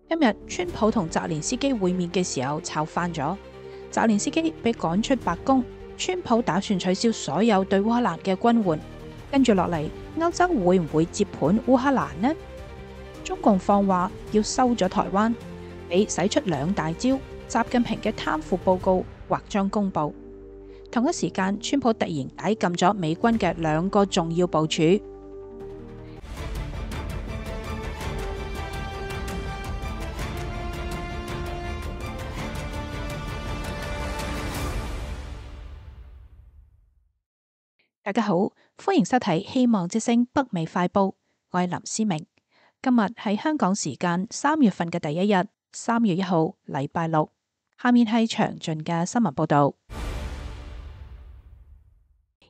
今日川普同澤連斯基會面嘅時候炒翻咗，澤連斯基被趕出白宮，川普打算取消所有對烏克蘭嘅軍援。跟住落嚟，歐洲會唔會接盤烏克蘭呢？中共放話要收咗台灣，俾使出2大招，習近平嘅貪腐報告或將公布。同一時間，川普突然解禁咗美軍嘅2個重要部署。大家好，歡迎收睇《希望之聲》北美快報，我係林思明。今日係香港時間3月份嘅第一日，3月1號，禮拜六。下面係詳盡嘅新聞報道。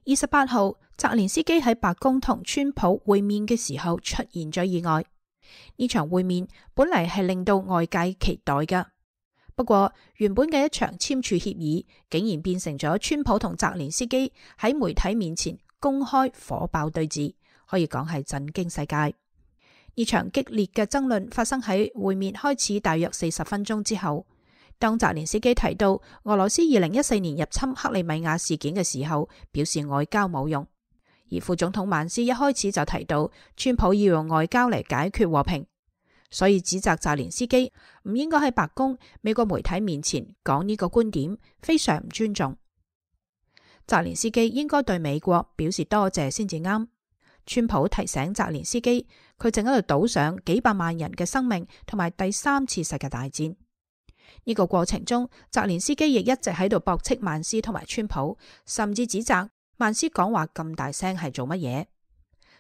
28號，澤連斯基喺白宮同川普會面嘅時候出現咗意外。呢場會面本嚟係令到外界期待㗎，不過原本嘅一場簽署協議，竟然變成咗川普同澤連斯基喺媒體面前公開火爆對峙，可以講係震驚世界。呢場激烈嘅爭論發生喺會面開始大約40分鐘之後。當澤連斯基提到俄羅斯2014年入侵克里米亞事件嘅時候，表示外交冇用；而副總統曼斯一開始就提到川普要用外交嚟解決和平，所以指責澤連斯基唔應該喺白宮美國媒體面前講呢個觀點，非常唔尊重。澤連斯基應該對美國表示多謝先至啱。川普提醒澤連斯基，佢正喺度賭上幾百萬人嘅生命同埋第3次世界大戰。呢個過程中，澤連斯基亦一直喺度駁斥曼斯同埋川普，甚至指責曼斯講話咁大聲係做乜嘢。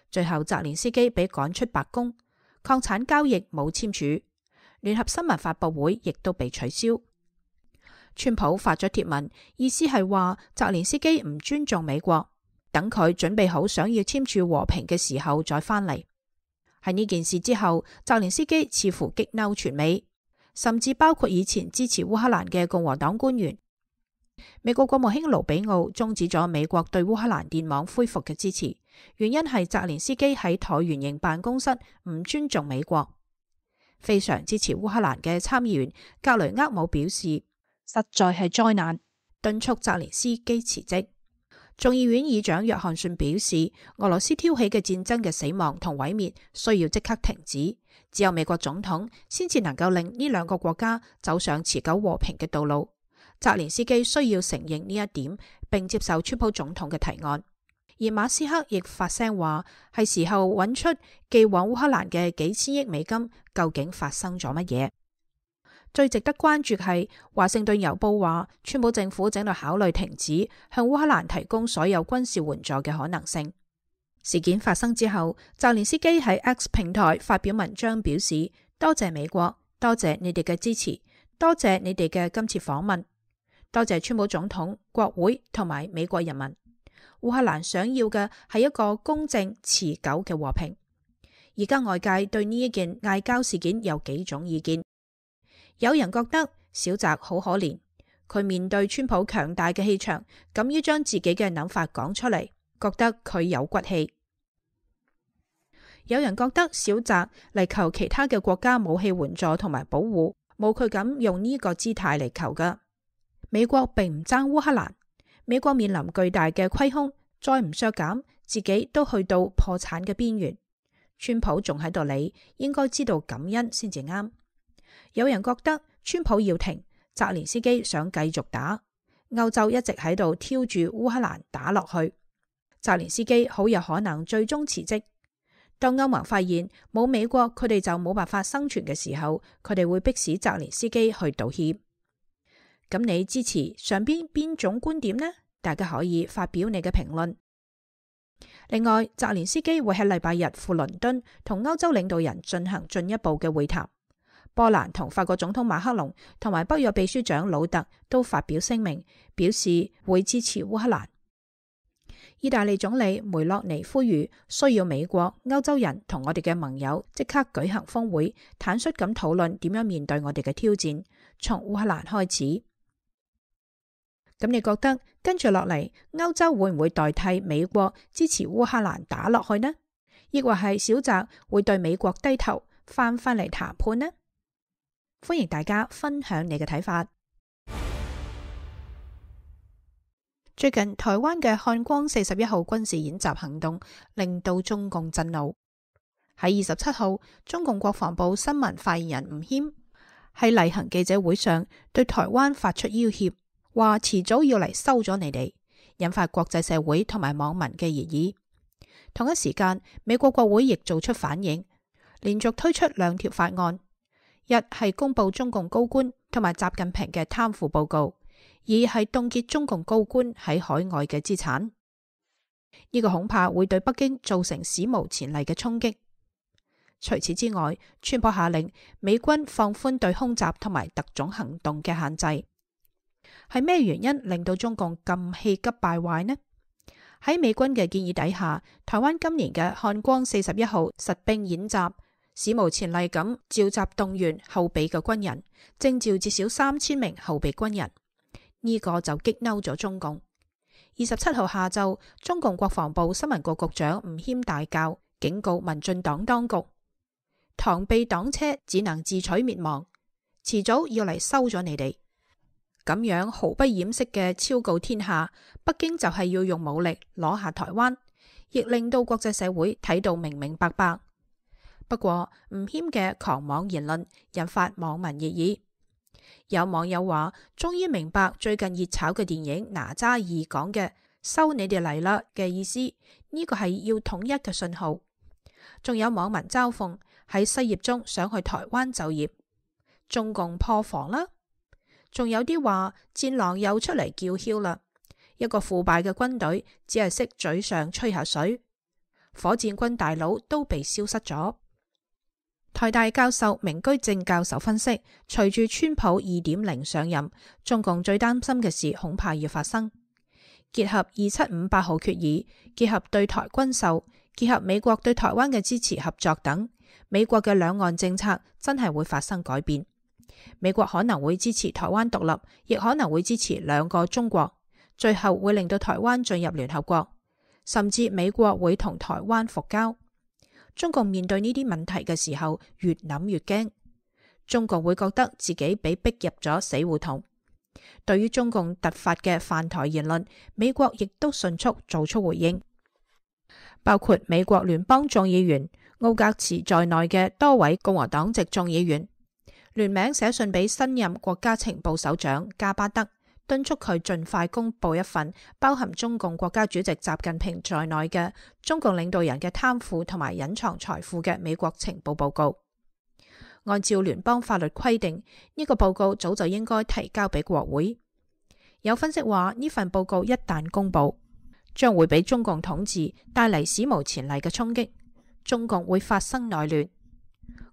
最後澤連斯基被趕出白宮，礦產交易冇簽署，聯合新聞發佈會亦都被取消。川普發咗貼文，意思係話澤連斯基唔尊重美國，等佢準備好想要簽署和平嘅時候再返嚟。喺呢件事之後，澤連斯基似乎激嬲全美，甚至包括以前支持烏克蘭嘅共和黨官員。美國國務卿盧比奧終止咗美國對烏克蘭電網恢復嘅支持，原因係澤連斯基喺橢圓形辦公室唔尊重美國。非常支持烏克蘭嘅參議員格雷厄姆表示，實在係災難，敦促澤連斯基辭職。眾議院議長約翰遜表示，俄羅斯挑起嘅戰爭嘅死亡同毀滅需要即刻停止，只有美國總統先至能夠令呢2個國家走上持久和平嘅道路。澤連斯基需要承認呢一點，並接受川普總統嘅提案。而馬斯克亦發聲話，係時候揾出寄往烏克蘭嘅幾千億美金究竟發生咗乜嘢。最值得關注係華盛頓郵報話，川普政府正在考慮停止向烏克蘭提供所有軍事援助嘅可能性。事件發生之後，澤連斯基喺 X 平台發表文章表示，多謝美國，多謝你哋嘅支持，多謝你哋嘅今次訪問，多謝川普總統、國會同埋美國人民。烏克蘭想要嘅係一個公正持久嘅和平。而家外界對呢一件嗌交事件有幾種意見。有人覺得小澤好可憐，佢面對川普強大嘅氣場，敢於將自己嘅諗法講出嚟，覺得佢有骨氣。有人覺得小澤嚟求其他嘅國家武器援助同埋保護，冇佢咁用呢個姿態嚟求㗎。美國並唔爭烏克蘭，美國面臨巨大嘅虧空，再唔削減，自己都去到破產嘅邊緣。川普仲喺度理，應該知道感恩先至啱。有人覺得川普要停，澤連斯基想繼續打，歐洲一直喺度挑住烏克蘭打落去，澤連斯基好有可能最終辭職。當歐盟發現冇美國佢哋就冇辦法生存嘅時候，佢哋會迫使澤連斯基去道歉。咁你支持上邊種觀點呢？大家可以發表你嘅評論。另外，澤連斯基會喺禮拜日赴倫敦同歐洲領導人進行進一步嘅會談。波蘭同法國總統馬克龍同埋北約秘書長魯特都發表聲明，表示會支持烏克蘭。意大利總理梅洛尼呼籲需要美國、歐洲人同我哋嘅盟友即刻舉行峰會，坦率咁討論點樣面對我哋嘅挑戰，從烏克蘭開始。咁你覺得跟住落嚟，歐洲會唔會代替美國支持烏克蘭打落去呢？抑或係小澤會對美國低頭翻嚟談判呢？歡迎大家分享你嘅睇法。最近台灣嘅漢光41號軍事演習行動令到中共震怒。喺27號，中共國防部新聞發言人吳謙喺例行記者會上對台灣發出要挾，話遲早要嚟收咗你哋，引發國際社會同埋網民嘅熱議。同一時間，美國國會亦做出反應，連續推出2條法案，一係公布中共高官同埋習近平嘅貪腐報告，二係凍結中共高官喺海外嘅資產。呢個恐怕會對北京造成史無前例嘅衝擊。除此之外，川普下令美軍放寬對空襲同埋特種行動嘅限制。係咩原因令到中共咁氣急敗壞呢？喺美軍嘅建議底下，台灣今年嘅漢光41號實兵演習史無前例咁召集動員後備嘅軍人，徵召至少3000名後備軍人。呢個就激嬲咗中共。27號下晝，中共國防部新聞局局長吳謙大叫，警告民進黨當局，螳臂擋車只能自取滅亡，遲早要嚟收咗你哋。咁樣毫不掩飾嘅昭告天下，北京就係要用武力攞下台灣，亦令到國際社會睇到明明白白。不過吳謙嘅狂妄言論引發網民熱議，有網友話終於明白最近熱炒嘅電影《哪吒2》講嘅收你哋嚟啦嘅意思，呢個係要統一嘅信號。仲有網民嘲諷喺失業中想去台灣就業，中共破防啦。仲有啲話戰狼又出嚟叫囂啦，一個腐敗嘅軍隊只係識嘴上吹下水，火箭軍大佬都被消失咗。台大教授明居正教授分析，隨住川普2.0上任，中共最擔心嘅事恐怕要發生。結合2758號決議，結合對台軍售，結合美國對台灣嘅支持合作等，美國嘅兩岸政策真係會發生改變。美國可能會支持台灣獨立，亦可能會支持2個中國，最後會令到台灣進入聯合國，甚至美國會同台灣復交。中共面對呢啲問題嘅時候，越諗越驚。中共會覺得自己被逼入咗死胡同。對於中共突發嘅犯台言論，美國亦都迅速做出回應，包括美國聯邦眾議員奧格茨在內嘅多位共和黨籍眾議員聯名寫信俾新任國家情報首長加巴德，敦促佢盡快公布一份包含中共國家主席習近平在內嘅中共領導人嘅貪腐同埋隱藏財富嘅美國情報報告。按照聯邦法律規定，呢個報告早就應該提交俾國會。有分析話，呢份報告一旦公布，將會俾中共統治帶嚟史無前例嘅衝擊，中共會發生內亂。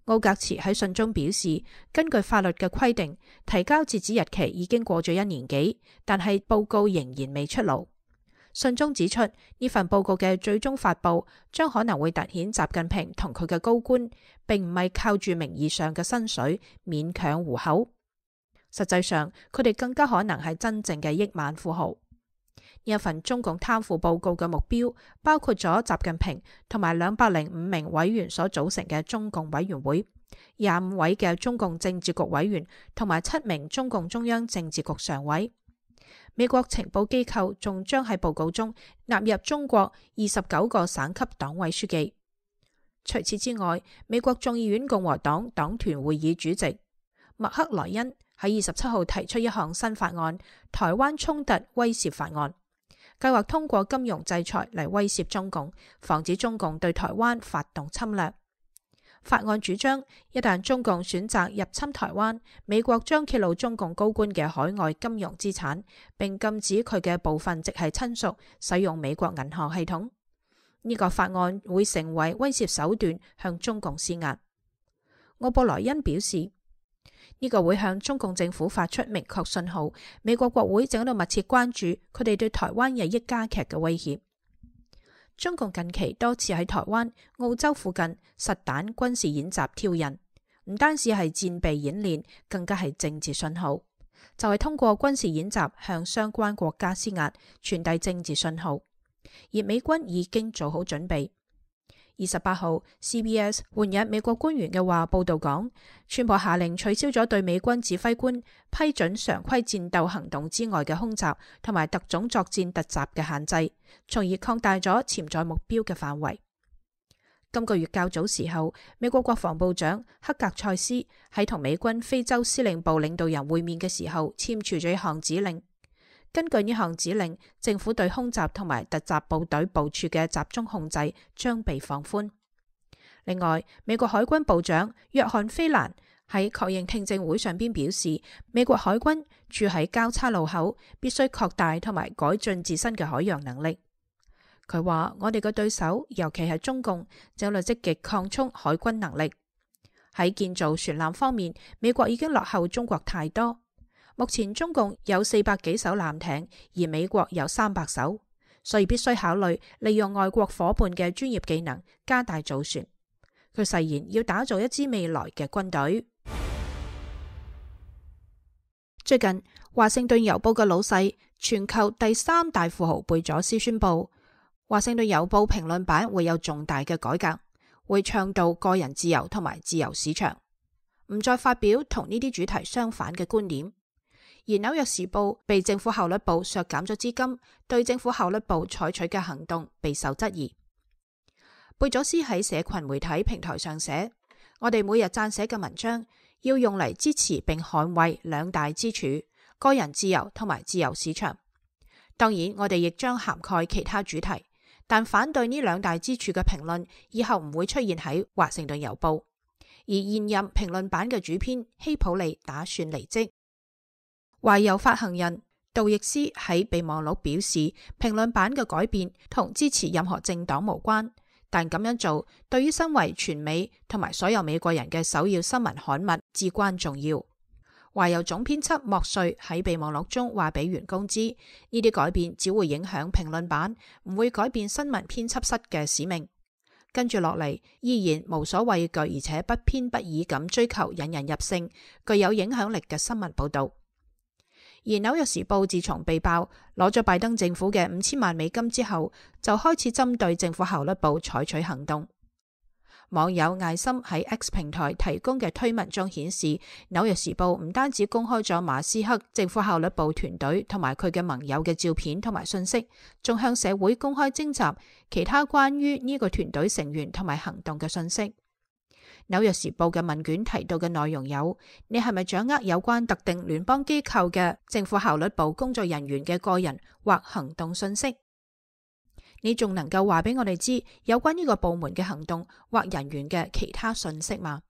奧格茨喺信中表示，根據法律嘅規定，提交截止日期已經過咗1年幾，但係報告仍然未出爐。信中指出，呢份報告嘅最終發布將可能會凸顯習近平同佢嘅高官並唔係靠住名義上嘅薪水勉強糊口，實際上佢哋更加可能係真正嘅億萬富豪。呢一份中共貪腐報告嘅目標包括咗習近平同埋205名委員所組成嘅中共委員會，25位嘅中共政治局委員同埋7名中共中央政治局常委。美國情報機構仲將喺報告中納入中國29個省級黨委書記。除此之外，美國眾議院共和黨黨團會議主席麥克萊恩喺27號提出一項新法案——台灣衝突威懾法案，計劃通過金融制裁嚟威懾中共，防止中共對台灣發動侵略。法案主張，一旦中共選擇入侵台灣，美國將揭露中共高官嘅海外金融資產，並禁止佢嘅部分直系親屬使用美國銀行系統。呢個法案會成為威懾手段，向中共施壓。奧布萊恩表示，呢個會向中共政府發出明確信號，美國國會正喺度密切關注佢哋對台灣日益加劇嘅威脅。中共近期多次喺台灣、澳洲附近實彈軍事演習挑釁，唔單止係戰備演練，更加係政治信號，就係通過軍事演習向相關國家施壓，傳遞政治信號。而美軍已經做好準備。28號 CBS 援引美國官員嘅話報道講，川普下令取消咗對美軍指揮官批准常規戰鬥行動之外嘅空襲同埋特種作戰突襲嘅限制，從而擴大咗潛在目標嘅範圍。今個月較早時候，美國國防部長克格塞斯喺同美軍非洲司令部領導人會面嘅時候簽署咗一項指令。根據呢項指令，政府對空襲同埋突襲部隊部署嘅集中控制將被放寬。另外，美國海軍部長約翰菲蘭喺確認聽證會上邊表示，美國海軍駐喺交叉路口，必須擴大同埋改進自身嘅海洋能力。佢話：我哋嘅對手，尤其係中共，正在積極擴充海軍能力。喺建造船艦方面，美國已經落後中國太多。目前中共有400幾艘艦艇，而美國有300艘，所以必須考慮利用外國夥伴嘅專業技能，加大造船。佢誓言要打造一支未來嘅軍隊。最近，華盛頓郵報嘅老細、全球第3大富豪貝佐斯宣布，華盛頓郵報評論版會有重大嘅改革，會倡導個人自由同埋自由市場，唔再發表同呢啲主題相反嘅觀點。而紐約時報被政府效率部削減咗資金，對政府效率部採取嘅行動備受質疑。貝佐斯喺社群媒體平台上寫：我哋每日撰寫嘅文章要用嚟支持並捍衛2大支柱，個人自由同埋自由市場。當然，我哋亦將涵蓋其他主題，但反對呢2大支柱嘅評論以後唔會出現喺華盛頓郵報。而現任評論版嘅主編希普利打算離職。華郵發行人杜易斯喺備忘錄表示，評論版嘅改變同支持任何政黨無關，但咁樣做對於身為全美同埋所有美國人嘅首要新聞刊物至關重要。華郵總編輯莫瑞喺備忘錄中話俾員工知，呢啲改變只會影響評論版，唔會改變新聞編輯室嘅使命。跟住落嚟，依然無所畏懼而且不偏不倚咁追求引人入勝、具有影響力嘅新聞報道。而紐約時報自從被爆攞咗拜登政府嘅5000萬美金之後，就開始針對政府效率部採取行動。網友艾森喺 X 平台提供嘅推文中顯示，紐約時報唔單止公開咗馬斯克政府效率部團隊同埋佢嘅盟友嘅照片同埋信息，仲向社會公開徵集其他關於呢個團隊成員同埋行動嘅信息。紐約時報嘅問卷提到嘅內容有：你係咪掌握有關特定聯邦機構嘅政府效率部工作人員嘅個人或行動信息？你仲能夠話俾我哋知有關呢個部門嘅行動或人員嘅其他信息嗎？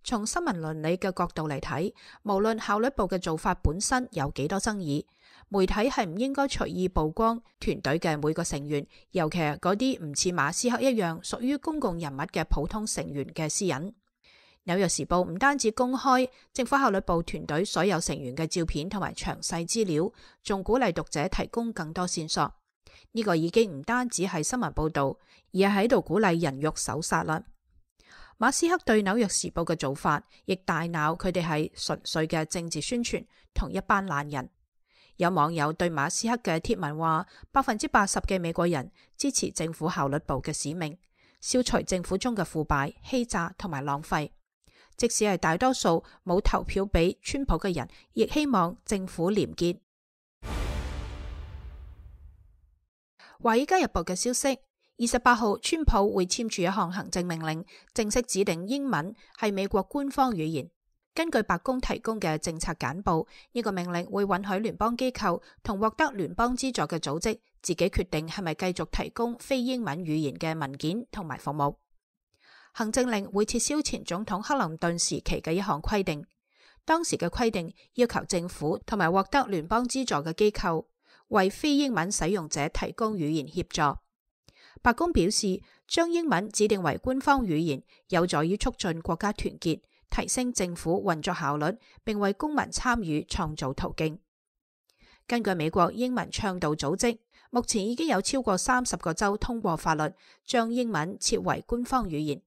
從新聞倫理嘅角度嚟睇，無論效率部嘅做法本身有幾多爭議，媒體係唔應該隨意曝光團隊嘅每個成員，尤其係嗰啲唔似馬斯克一樣屬於公共人物嘅普通成員嘅私隱。紐約時報唔單止公開政府效率部團隊所有成員嘅照片同埋詳細資料，仲鼓勵讀者提供更多線索。呢個已經唔單止係新聞報道，而係喺度鼓勵人肉搜殺啦。馬斯克對紐約時報嘅做法亦大鬧佢哋係純粹嘅政治宣傳同一班懶人。有網友對馬斯克嘅貼文話，80%嘅美國人支持政府效率部嘅使命，消除政府中嘅腐敗、欺詐同埋浪費。即使係大多數冇投票俾川普嘅人，亦希望政府廉潔。華爾街日報嘅消息，28號川普會簽署一項行政命令，正式指定英文係美國官方語言。根據白宮提供嘅政策簡報，呢個命令會允許聯邦機構同獲得聯邦資助嘅組織自己決定係咪繼續提供非英文語言嘅文件同埋服務。行政令會撤銷前總統克林頓時期嘅一項規定，當時嘅規定要求政府同埋獲得聯邦資助嘅機構為非英文使用者提供語言協助。白宮表示，將英文指定為官方語言，有助於促進國家團結，提升政府運作效率，並為公民參與創造途徑。根據美國英文倡導組織，目前已經有超過30個州通過法律，將英文設為官方語言。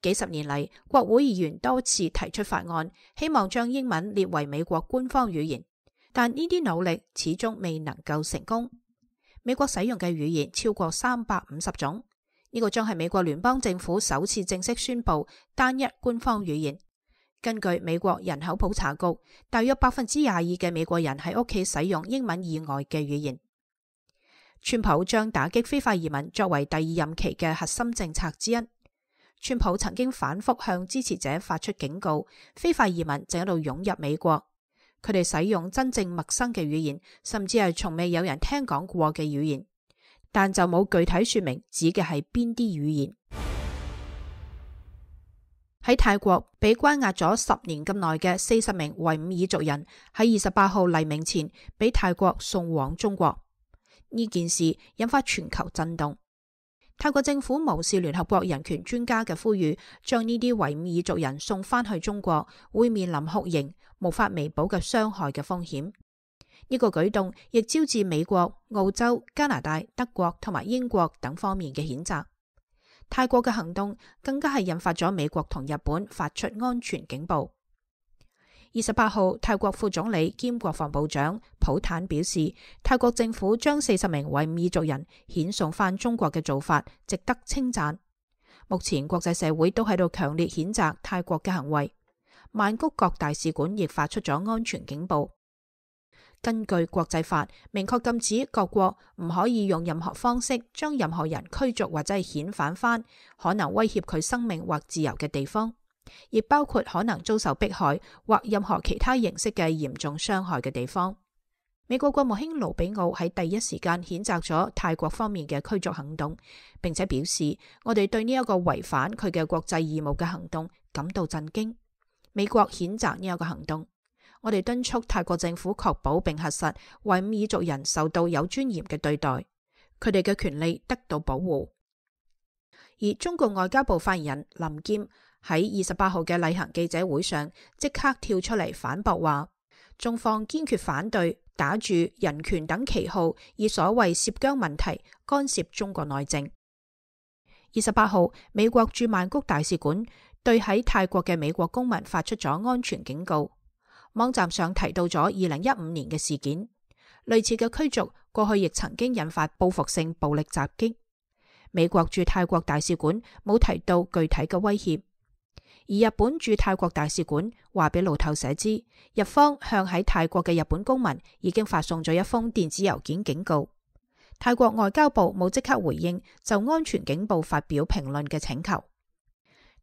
幾十年嚟，國會議員多次提出法案，希望將英文列為美國官方語言，但呢啲努力始終未能夠成功。美國使用嘅語言超過350種，呢個將係美國聯邦政府首次正式宣布單一官方語言。根據美國人口普查局，大約22%嘅美國人喺屋企使用英文以外嘅語言。川普將打擊非法移民作為第二任期嘅核心政策之一。川普曾經反覆向支持者發出警告，非法移民正喺度湧入美國，佢哋使用真正陌生嘅語言，甚至係從未有人聽講過嘅語言，但就冇具體說明指嘅係邊啲語言。喺泰國被關押咗10年咁耐嘅40名維吾爾族人喺28號黎明前被泰國送往中國。呢件事引發全球震動。泰國政府無視聯合國人權專家嘅呼籲，將呢啲維吾爾族人送返去中國，會面臨酷刑、無法彌補嘅傷害嘅風險。呢個舉動亦招致美國、澳洲、加拿大、德國同埋英國等方面嘅譴責。泰國嘅行動更加係引發咗美國同日本發出安全警報。28號，泰國副總理兼國防部長普坦表示，泰國政府將40名維吾爾族人遣送返中國嘅做法值得稱讚。目前國際社會都喺度強烈譴責泰國嘅行為，曼谷各大使館亦發出咗安全警報。根據國際法，明確禁止各國唔可以用任何方式將任何人驅逐或者係遣返返可能威脅佢生命或自由嘅地方，亦包括可能遭受迫害或任何其他形式嘅嚴重傷害嘅地方。美國國務卿盧比奧喺第一時間譴責咗泰國方面嘅驅逐行動，並且表示，我哋對呢一個違反佢嘅國際義務嘅行動感到震驚。美國譴責呢一個行動。我哋敦促泰國政府確保並核實維吾爾族人受到有尊嚴嘅對待，佢哋嘅權利得到保護。而中國外交部發言人林劍喺28號嘅例行記者會上即刻跳出嚟反駁話，中方堅決反對打住人權等旗號以所謂涉疆問題干涉中國內政。28號，美國駐曼谷大使館對喺泰國嘅美國公民發出咗安全警告。網站上提到咗2015年嘅事件，類似嘅驅逐過去亦曾經引發報復性暴力襲擊。美國駐泰國大使館冇提到具體嘅威脅，而日本駐泰國大使館話俾路透社知，日方向喺泰國嘅日本公民已經發送咗一封電子郵件警告。泰國外交部冇即刻回應就安全警報發表評論嘅請求。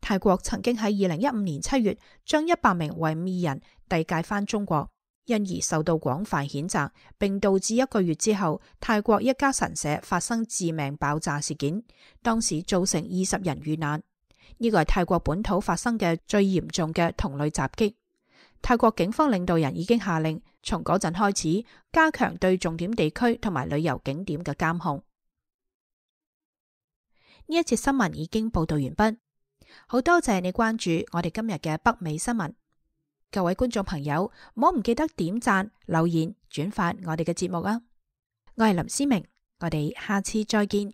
泰國曾經喺2015年7月將100名維吾爾人遞解返中國，因而受到廣泛譴責，並導致1個月之後泰國一家神社發生致命爆炸事件，當時造成20人遇難。呢個係泰國本土發生嘅最嚴重嘅同類襲擊。泰國警方領導人已經下令從嗰陣開始加強對重點地區同埋旅遊景點嘅監控。呢一節新聞已經報道完畢。好多謝你關注我哋今日嘅北美新聞，各位觀眾朋友，唔好唔記得點讚、留言、轉發我哋嘅節目啊！我係林思明，我哋下次再見。